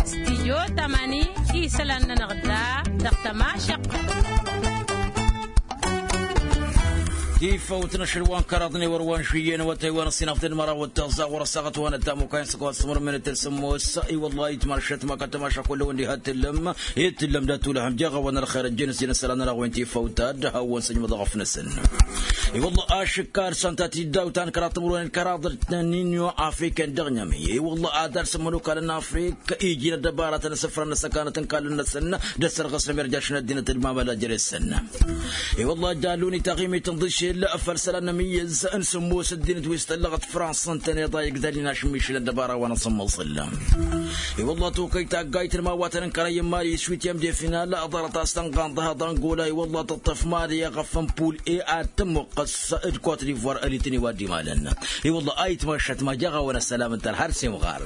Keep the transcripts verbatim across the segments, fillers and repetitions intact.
Stijyo tamani isălan-nănăɣ da dăɣ-tămašăɣt. Tifăwt n-ašăl wa n-kăraḍ n-ewăr wa n-žuyyen wa tăywan ăṣṣinăɣ tăn-măraw d-taẓẓa ɣur-ăsaɣăt wa n-ăttamukay n-săkwa s-sămrămmen d-tălsămmos. I-wălla-hi itmašăt ma kăl-tămašăɣ kull-wăn diha t-tǝllăm. Itǝllăm dat-tulăhăm jeɣ-awăn ălxer ăjjeen s-jăn isălan-nănăɣ wen tifăwt ad-hawăn-săjmăḍ ăɣăf-năsăn. I-wălla ašǝkkar săn ta tiddawt ta n-kăraḍ timǝrwen d-kăraḍ n-inyo afriken dăɣ-nyămăy. I-wălla ad-dars n-imănokalăn n-afrik iji n-ăddăbaratăn asǝfrăn n-asăkanăt n-ikallăn-năsăn d-ăssărɣǝs n-emerjaš n-ăddinăt d-mamăla jere-săn. I-wălla jalun i-taɣimit n-iḍǝšel făll-isălan n-amǝyyǝz n-sǝmmos ăddinăt wi s-tăllăɣăt frans ǝntăneḍ a igdalin ašǝmmišǝl ăddăbara wa n-asǝmmăẓǝl. I-wălla tokăy taggayt n-imawatăn n-kărăy n-imali s-witiyăm de final ḍarăt a-s tănɣanḍăhăḍ angola i-wălla tǝṭṭăf mali eɣăf n-pul e ad-tămmuqqăs d-kot divoir ălităn i-wa dd-imalăn. I-wălla a itmăššăt ma jaɣ-awăn ăssălam ǝnta ălhăr s-imɣar.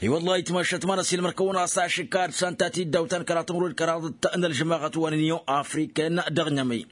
I-wălla a itmăššăt ma n-ăsilmăr-kăwăn a-s ašǝkka ad-săn ta tiddawt ta n-kăraḍ timǝrwen d-kăraḍ n-ălžămaɣăt wa n-inyon afriken dăɣ-nyămăy.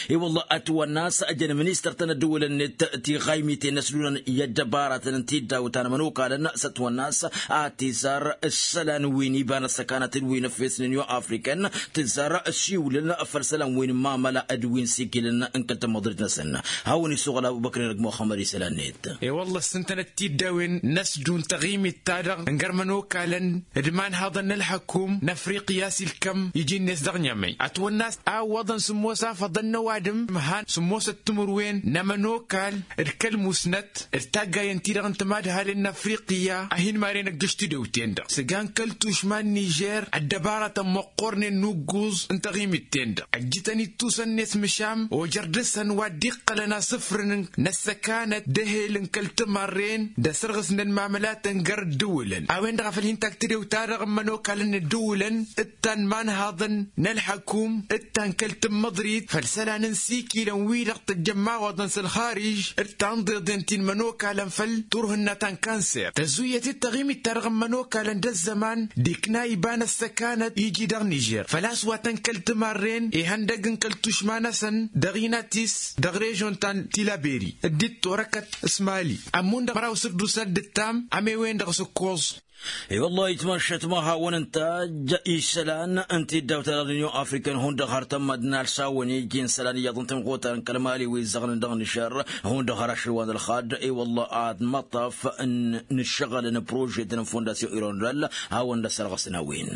I-wălla ătwănna a-s ăjăn ministăr-tăn ăddǝwǝlăn-net tiɣaymiten n-ăsdunăn i-ăddăbaratăn n-tiddawt ta n-imănokalăn s-ătwănna a-s ad-t-izar ǝssălan wi n-iba n-ăssăkanăt d-wi n-ăffes n-inyon afriken. Tǝzzar ăsiwǝlăn făll-isălan wi n-mamăla d-wi n-sikǝlăn n-kăl-tămmăḍrit-năsăn. Hawăn-isuɣǝl abubăkr-i-dăɣ muxămmăd isălan-net. E-wălla s-ǝntănăt tiddawen n-ăsdun taɣimit-ta-dăɣ n-gărmăn okalăn d-imanhaḍăn n-ălḥăkum n-afriqya s-ilkăm iji-net dăɣ-nyămăy ătwănna a-s a ǝwwăḍăn sǝmmos afăḍăn n-ăwadǝm ǝmhan sǝmmos d-timǝrwen n-ămănokal d-kăl-musnăt d-taggayen-ti-dăɣ n-timadhalen n-afriqya a hin-maren ăggǝš tidǝwt-en-dăɣ săgan kăl-tušma n-nižer ăddăbaratăn măqqornen n-ugguẓ n-taɣimit-ten-dăɣ ăjjǝtăn ittusăn-net măšan ojăr dăɣ-săn wa dd-iqqălăn asǝfrǝn n-ăssăkanăt d-ehel n-kăl-timarren d-asărɣǝs n-ănmamălatăn găr ǝddǝwǝlăn a-wen-dăɣ a făl hin-tag tidewt-ta-dăɣ n-imănokalăn n-ǝddǝwǝlăn d-ta n-imanhaḍăn n-ălḥăkum d-ta n-kăl-tǝmmăḍrit făll-isălan n-sikilăn-wi-dăɣ tăjjăn imawaḍăn s-ălxarij d-ta n-iḍeḍen ti n-imănokalăn făll-turhǝnna ta n-kanser tăzzuyyăt-dd taɣimit-ta-dăɣ n-imănokalăn d-ăzzăman d-ikna iba n-ăssăkanăt iji dăɣ-nižer făl-a-s wa tăn-kăl-timarren ihăndăg n-kăl-tušma-năsăn dăɣ-inatis dăɣ-režon ta n-tilaberi d-dd-torăkăt s-mali ămmun dăɣ-măraw săr d-usăl d-ǝttam ămewen-dăɣ s-ǝkkoẓ. I-wăllah itmăššăt ma hawăn-ǝntaj isălan ǝnta i-dd-awt ălăɣ n-inyon afrikan hundăɣ har tămmădnal s-a-wăn iji n-isălan iyyăḍ n-tinɣutar n-kăl-mali wi ǝzzăɣnen dăɣ-nǝšăr hundăɣ har ašăl wa n-ălxad. I-wăllah ad-măṭṭaf n-ǝššăɣǝl n-prožetăn n-fondasyon irondal hawăn-dd-ăssărɣăsăn a-wen.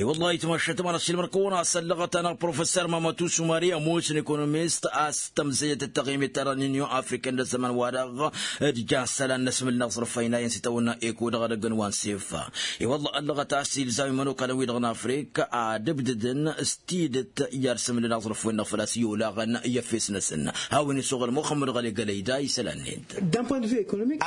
I-wăllah itmăššăt ma n-ăssiilmăr-kăwăn a-s ăllăɣăt-anăɣ professor mamătu sumari ămoos n-ekonomist a-s tămzăyăt d-taɣimit ta dăɣ-n inyon afrikan d-ăzzăman-wa-dăɣ d-jan isălan n-asmǝl n-aẓrǝf a inayăn s-itawănna eko dăɣ-edăgg n-wa n-sefa. I-wăllah ăllăɣăt a-s ilzam imănokalăn-wi-dăɣ n-afrik ad-ǝbdǝdăn s-tidǝt i-ad-sǝmǝlăn aẓrǝf-wen-dăɣ făl-a-s i-olaɣăn i-efes-năsăn. Hawăn-isuɣǝl muxămmăd ɣăli gălăyda isălan-net.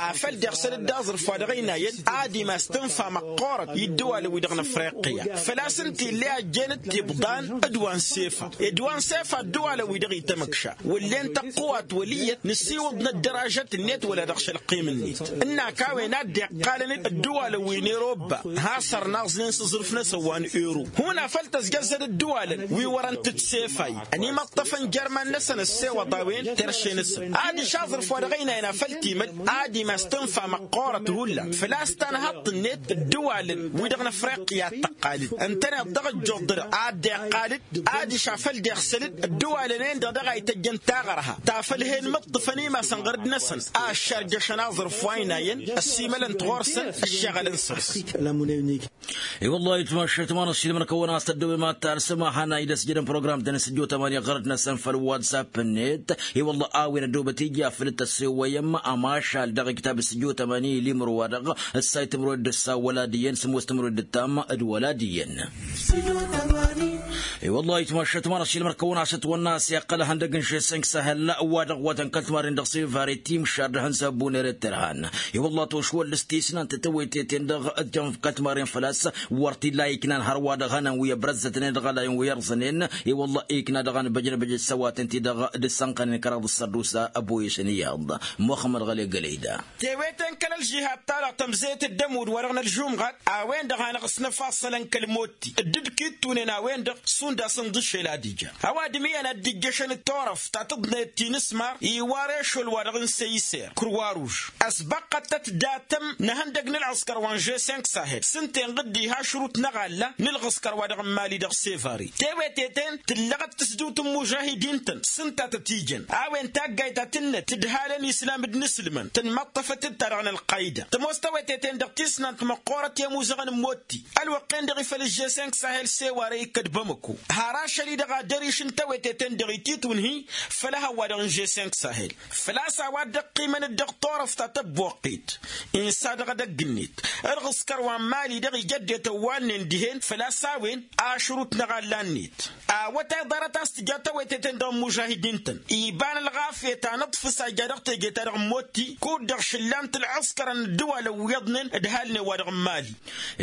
Afăl deɣ săl-dd aẓrǝf wa dăɣ-ăynayăn ad-imas tǝnfa măqqoorăt i-ǝddǝwalăn-wi-dăɣ n-afriqya făl-a-s ǝnta ill'-e a ăjjeen d-tibḍan d-wa n-sefa ed wa n-sefa ǝddǝwalăn-wi-dăɣ itamǝkša wăllen tăqqǝwat wăl' iyyăt nǝsiwǝḍ n-ăddăražăt-net wăla dăɣ-šălqim-net. Ǝnnak a-wen a dd-iqqalăn ǝddǝwalăn wi n-erobba has-ărnaẓnen s-aẓrǝf-năsăn wa n-ero hun afăl tăzjăzzăd ǝddǝwalăn wi wărăn tǝtsefayn ănimăṭṭăfăn jer-iman-năsăn ăssewăḍ a-wen terše-năsăn adiš aẓrǝf wa dăɣ-ăynayăn afăl timăd ad-imas tǝnfa măqqoorăt hullan făl-a-s tanhaḍt-net ǝddǝwalăn-wi-dăɣ n-afriqya a t-tăqqalăd ǝntăneḍ dăɣ-ăjjuḍ-dăɣ ad-dd-iqqalăd adiš afăl deɣ săl-dd ǝddǝwalăn-en-dăɣ daɣ a ităjjăn taɣărha ta făl hen mǝṭṭǝfăn imasăn ɣărd-năsăn a ăššarjăšăn aẓrǝf wa ăynayăn ăssiimălăn-t ɣur-săn ăššăɣǝlăn săr-s. I-wăllah itmăššăt ma n-ăssiilmăr-kăwăn a-s tăddăwem ad-tarsǝm ad-hanăy d-ăsjădăn program-tăn s-ǝjjo tămani ɣărăt-năsăn făll-whatsapp-net. I-wăllah a-wen ăddoobăt ija făll-tăssewăyăm ămašal dăɣ-iktab s-ǝjjo tămani ilimǝr-wa-dăɣ ǝssay timǝrwen d-ǝssa wăla d-iyyăn sǝmmos timǝrwen d-ǝttam d-wăla d-iyyăn. I-wăllah itmăššăt ma n-ăssiilmăr-kăwăn a-s ătwănna a-s iqqăl ihăndăg n-žesănk săhăl wa-dăɣ wa tăn-kăl-timarren dăɣ-sevare timšar d-ehăn s-ăbbuner d-terhan. I-wăllah tošwăllăs tisnant tawăyteten-dăɣ d-jăn kăl-timarren făl-a-s wăr t-illa iknan hărwa-dăɣ hănăn wi ăbrăzzătnen d-iɣălayăn wi ărẓănen. I-wăllah ikna dăɣ-anbăjnăbăj d-isăwatăn-ti-dăɣ d-ǝssănqănen kăraḍ d-sărdusa ăboyăšăn iyyăḍ. Muxămmăd ɣăli gălăyda. Tewete n-kăl-ălžihad-ta-dăɣ tămzeyăt d-ămudd-wa-dăɣ n-ălžumɣat a-wen-dăɣ hanăɣ-s năfassălăn kăl-motti dd-dd-kittunen a-wen-dăɣ. Šund a-s ǝnḍǝšel ad-ija ăwadǝm iyyăn a dd-ijjăšăn d-turăft ta tǝḍnăyăt ti n-asmar iwar ešol-wa-dăɣ n-săyser kǝrwaruž. Ăsbăqqăt-tăt datăm n-ehăndăg n-ălɣǝskăr wa n-žessenk sahel s-ǝnta enɣǝd diha ašrut n-aɣalla n-ălɣǝskăr-wa-dăɣ n-mali dăɣ-sevare. Teweteten tǝllăɣăt tǝsdǝwt n-imužahidin-tăn s-ǝnta tăt-ijăn a-wen taggayt ta tǝnnăt tǝdhalăn islam d-inǝslǝmăn tǝnmăṭṭăfăt-dd ta dăɣ-nălqayda. Tămoos teweteten dăɣ-tisnant măqqoorăt i-ămuzăɣăn n-motti ălwăqqen-dăɣ ifăl ăžžessenk sahel sewar a ikkăt bamăko. Har ašăl-i-dăɣ ad-ăriš n-teweteten-dăɣ ititwǝnhǝy făll-ehăn-wa-dăɣ n-žessenk sahel. Făl-a-s a-wa dd-ăqqimăn-dd dăɣ-turăft ta tăbboqqit insa dăɣ-edăgg-net. Ălɣǝskăr wa n-mali-dăɣ ija ăddinăt ăwwalnen dihen făl-a-s a-wen ašrut n-aɣalla-net. Awătay ḍarăt a-s tǝja teweteten dăɣ-imužahidin-tăn iba n-ălɣafyăt a n-aḍfǝs a ija dăɣ-teje-ta-dăɣ n-motti kud-dăɣ šǝllan-t ǝlɣǝskărăn ǝddǝwalăn wi iyyăḍnen d-halnen-wa-dăɣ n-mali.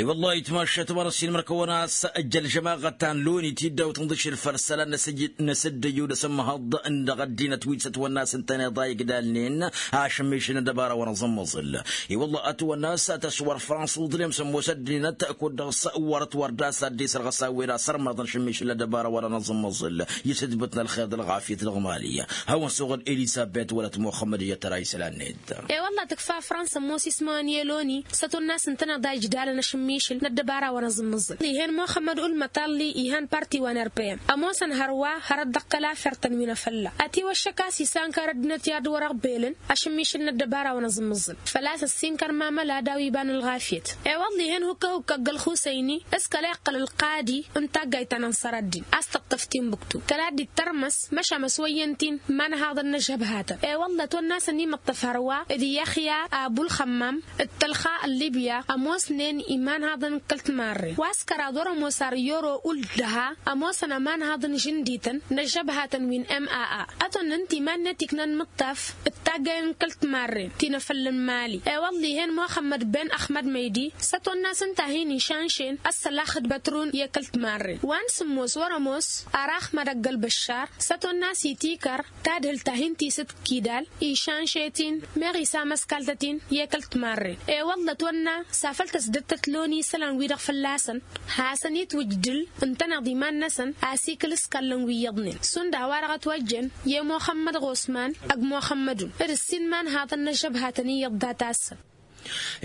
I-wăllah itmašat mărăs-in mărkăwăn a-s ăjjăl žămaɣăt ta n-loni tiddawt n-iḍǝšel făll-isălan n-asǝjjǝd n-asǝddǝjju d-asǝmmăhăḍ dăɣ-ăddinăt wi s-ătwănna a-s ǝntăneḍ a igdalnen ašǝmmišǝl n-ăddăbara wa n-aẓǝmmăẓǝl. I-wăllah ătwănna a-s tăswăr fransa uḍlem s-ămoos ăddinăt kud-dăɣ s-wăr-ătwăr d-a-s ad-dd-isărɣăs a-wen asărmăḍăn šǝmmišǝl n-ăddăbara wa n-aẓǝmmăẓǝl. I-sǝdbǝt n-ălxer d-ălɣafyăt dăɣ-mali. Hawăn-suɣǝl elisabet wăla t-muxămmăd iyyăt tăra isălan-net. I-wălla tǝkfa fransa ămoos ismăwăn i-loni s-ătwănna a-s ǝntăneḍ a ijdalăn ašǝmmišǝl n-ăddăbara wa n-aẓǝmmǝẓǝl. Ihăn muxămmăd ulmăt alli ihăn parti wa n-rpm ămoosăn hărwa hărăt dăɣ-kăl-afert-tăn wi n-afălla ătiwăššăk a-s isankăr ăddinăt i-ad-wăr-ăɣbelăn ašǝmmišǝl n-ăddăbara wa n-aẓǝmmǝẓǝl. Făl-a-s ăssinkăr mamăla d-a-wa iba n-ălɣafyăt. I-wălla ihăn hukk-ahukk ăgg-ălxusăyni s-kăla iqqăl ălqadi n-taggayt ta n-ănṣăr ăddin a-s tăṭṭăf tinbǝktu kăla dd-ittărmăs măšan ăswăyyăn-t-in imanhaḍăn n-ăžžăbhatăn. I-wălla ătwănna a-s ănimăṭṭăf hărwa d-iyyăxya abu ălxămmam d-tălxa n-libya ămoosnen imanhaḍăn n-kăl-timarren wa s-kăraḍ wăr-ămoos ar i-oro uld-dăha. Ămoosăn ămanhaḍ n-žǝndităn n-ăžžăbhatăn wi n-maa ătwănna ǝnta iman-net iknan mǝṭṭaf d-taggay n-kăl-timarren ti n-afălla n-mali. I-wălla ihăn muxămmăd ben ăxmăd măydi s-ătwănna a-s ǝnta a hin-išanšen ăssălax d-bătrun i-kăl-timarren wa n-sǝmmos wăr-ămoos. Ar axmăd ăgg-ălbăššar s-ătwănna a-s itikăr tadhǝlt ta hin-tisǝt kidal išanše-t-in meɣ isamăskal-tăt-in i-kăl-timarren. I-wălla ătwănna s-afăl tăsdăt tătlon isălan-wi-dăɣ fălla-săn hasăn-itwǝjdǝl ǝntăneḍ iman-năsăn. Asikǝl s-kallăn wi iyyăḍnen šund a-wa-dăɣ ătwăjjăn i-muxămmăd ɣosman ăgg muxămmădun d-ǝssin imanhaḍăn n-ăžžăbhatăn iyyăḍ data-săn.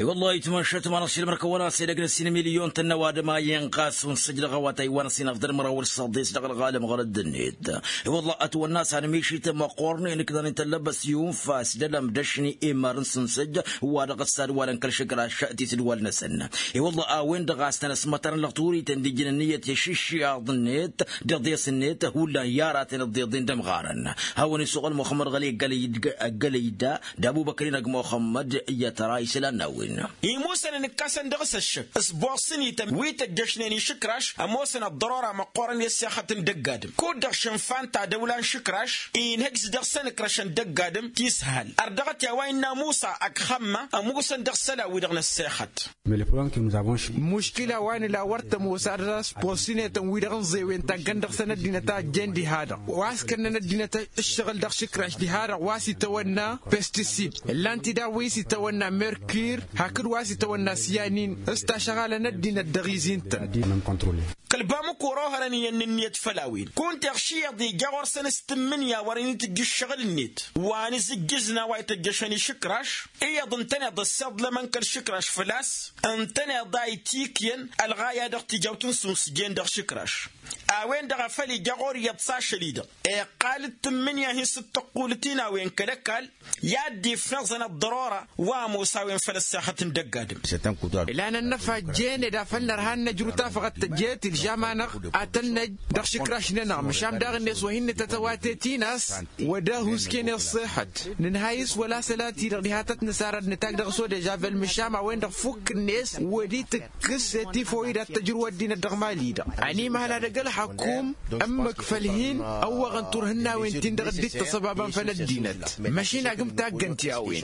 I-wăllah itmăššăt ma n-ašăl mărkăwăn-as edăgg n-ǝssin milyon tăn-ăwadǝm a inɣas unsǝj dăɣ-awătay wa n-ăsinăfḍăn măraw wăr s-săḍes dăɣ-ălɣalăm ɣărăt d-net. I-wăllah ătwănna a-s anmišităm măqqornen ǝknan ităllăbăs i-unfas d-ălăm d-ašni immar n-sǝnsǝj wa dăɣ-ăssadwalăn kăl-išǝkraš tisǝdwal-năsăn. I-wăllah a-wen-dăɣ a-s tăn-ăsmătărăn lăɣturităn d-ijǝn ǝnniyăt i-išǝššiyaḍ-net d-iḍes-net hullan i-aratăn ǝḍḍeḍen d-ămɣarăn. Hawăn-isuɣǝl muxămmăd ɣăli ăggălăy-da d-abubăkrin ăgg muxămmăd iyyăt ra isălan n-a-wen. Imusăn ǝnǝkkasăn dăɣ-s ăššăk s-boɣsăn ităm wi tăjjăšnen išǝkraš ămoosăn ăḍḍărora măqqoorăn i-ăssexăt n-dăgg-adǝm kud-dăɣ šǝnfa ǝnta dăwla n-išǝkraš. Inhǝj s-dăɣ-săn ǝkrăšăn dăgg-adǝm tisǝhal ărdăɣăt i-a-wa innă musa ăgg xămma ămusăn dăɣ-isălan-wi-dăɣ n-ăssexăt. Muškila wa nǝla wăr tămoos ad-dăr-s bosinetăn wi-dăɣ n-zewen taggăn dăɣ-săn ăddinăt a ăjjeen diha-dăɣ wa s-kănnăn ăddinăt ǝššăɣǝl dăɣ-išǝkraš diha-dăɣ wa s-itawănna pestisid ǝllan-t-dd a-wa s-itawănna merkir hakd wa s-itawănna siyanin. S-tašăɣalăn ăddinăt dăɣ-izin-tăn. Kăl-bamǝk wăr-ohărăn iyyăn n-ǝnniyăt făll-a-wen kunta iɣš iyyăḍ ija ɣur-săn s-tǝmmǝnǝya wărăn itǝjj ǝššăɣǝl-net wa n-izǝjjǝzna wa ităjjăšăn išǝkraš. Iyyăḍ ǝntăneḍ ăssiḍlămăn kăl-išǝkraš făl-a-s ǝntăneḍ a itikyăn ălɣaya dăɣ-tijawt n-sumsǝjen dăɣ-išǝkraš. A-wen-dăɣ a făl ija ɣur-iyyăḍ s-ašăl-i-dăɣ iqqal d-tǝmmǝnǝya hin-sǝttăqqulăt-in a-wen kăl-ăkall i-ad-dd-ifnăẓăn ăḍḍărora wa ămoos a-wen făll-ăssexăt n-dăgg-adǝm. Lan ănnăfa ăjjeen ed afăl nărha ad-nǝjrǝw tafăɣăt tăjjeet ilžam-anăɣ ad-tăn-năj dăɣ-išǝkraš-nănăɣ măšan daɣ-net wa hin-nǝtăt ăwatet-in a-s wăr dăɣ-husken i-ăṣṣixăt nǝnhăy s-wăla sălat-i-dăɣ diha tăt-nǝsar ad-nǝtak dăɣ-s odežavel măšan a-wen-dăɣ fukk-net wăr-dd-tǝkkǝs etifoyi d-ad-tăjrǝw ăddinăt dăɣ-mali-dăɣ. Ănimăhăl ad-ăgg ălxăkum ǝmmǝk făll-hin-ăwwăɣăn turhǝnnawen-tin-dăɣ dd-ittăṣăbabăn făll-ăddinăt. Măšin agǝm taggăn ti a-wen.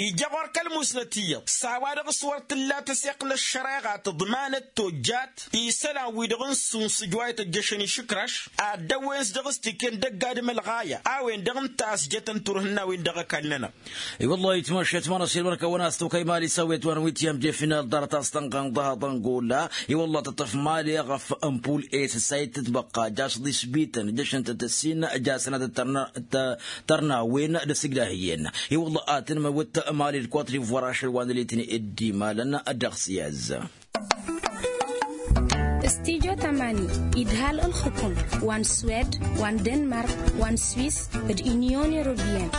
Ija ɣur-k ălmusnăt iyyăḍ s-a-wa-dăɣ s-wăr tǝlla tăseɣt n-ăššăreɣa tǝḍmanăt tojjat. isălan-wi-dăɣ n-suns ǝjwayăt ăjjăšăn išǝkraš ad-dăwwen-s dăɣ-s tiken dăgg-adǝm ălɣaya a-wen-dăɣ ǝnta a-s jătăn turhǝnna-wen dăɣ-ăkall-nănăɣ. I-wăllah itmašat ma n-ăṣṣil măr-kăwăn-as tokăy mali s-awet wa n-wi t-iyyăm jefinal ḍarăt a-s tănɣănḍăh aḍăngul. I-wăllah tăṭṭăf mali ɣăf n-pul-e s-ăssayăt tǝtbăqqa jaš ḍisbităn jăšăn-tăt ǝssin jasăn ad-tărna-wen d-asǝgdahǝyyen. I-wăllah ad-tǝnmăwǝt mali d-kotri vărašăn wa n-ălitni dd-imalăn dăɣ-s i-azza. Studyo tamani idhal ǝlxǝkum wa n-swed wa n-denmark wa n-swis d-inyon europiyăn.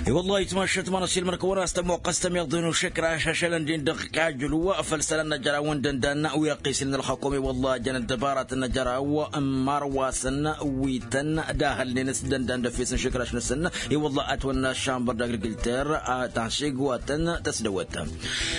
I-wăllah itmašat ma n-ăṣṣil măr-kăwăn-as tămoqqăs tămiḍen ušǝkraš ašălăn-din dăɣ-kajǝlu făll-isălan n-ajăraw n-dăndan wi ăqqisnen ălxăkum i-wăllah jăn ăddăbaratăn n-ajăraw n-imar wa săn wi tăn-dahălnen s-dăndan d-efes n-išǝkraš-năsăn. I-wăllah ătwănna aššambăr d-agrikilter a tanšegwatăn tăsdăwăt.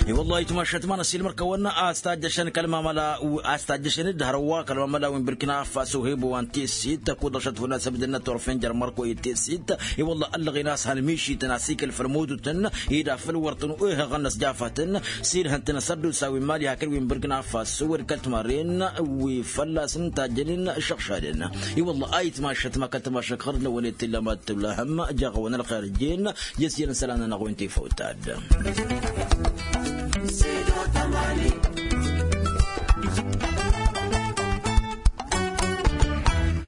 I-wăllah itmašat ma n-ăṣṣil măr-kăwăn-as tajjăšăn kăl-mamăla a-s tajjăšăn d-hărwa kăl-mamăla wi n-birkina faso hebo wa n-tesit tăkuḍăšăt fălla-s ăbdănnăt turfen jer-mărko i-tesit. I-wăllah ăllăɣen a-s hăn mišităn a-s ikăl făll-mudutăn ida făll-wăr tăn-uhăɣăn n-ăsjafatăn s-ilhăn-tăn asăddusa wi n-mali hakd wi n-birkina faso wăr kăl-timarren wi fălla-s n-tajjănen šăɣšadăn. I-wăllah a itmašat ma kăl-timašat ɣărd n-awănet tilla mad-tǝllăhăm jaɣ-awăn ălxer jen. Jăsjăn isălan-nănăɣ wi n-tifăwt ta-dd.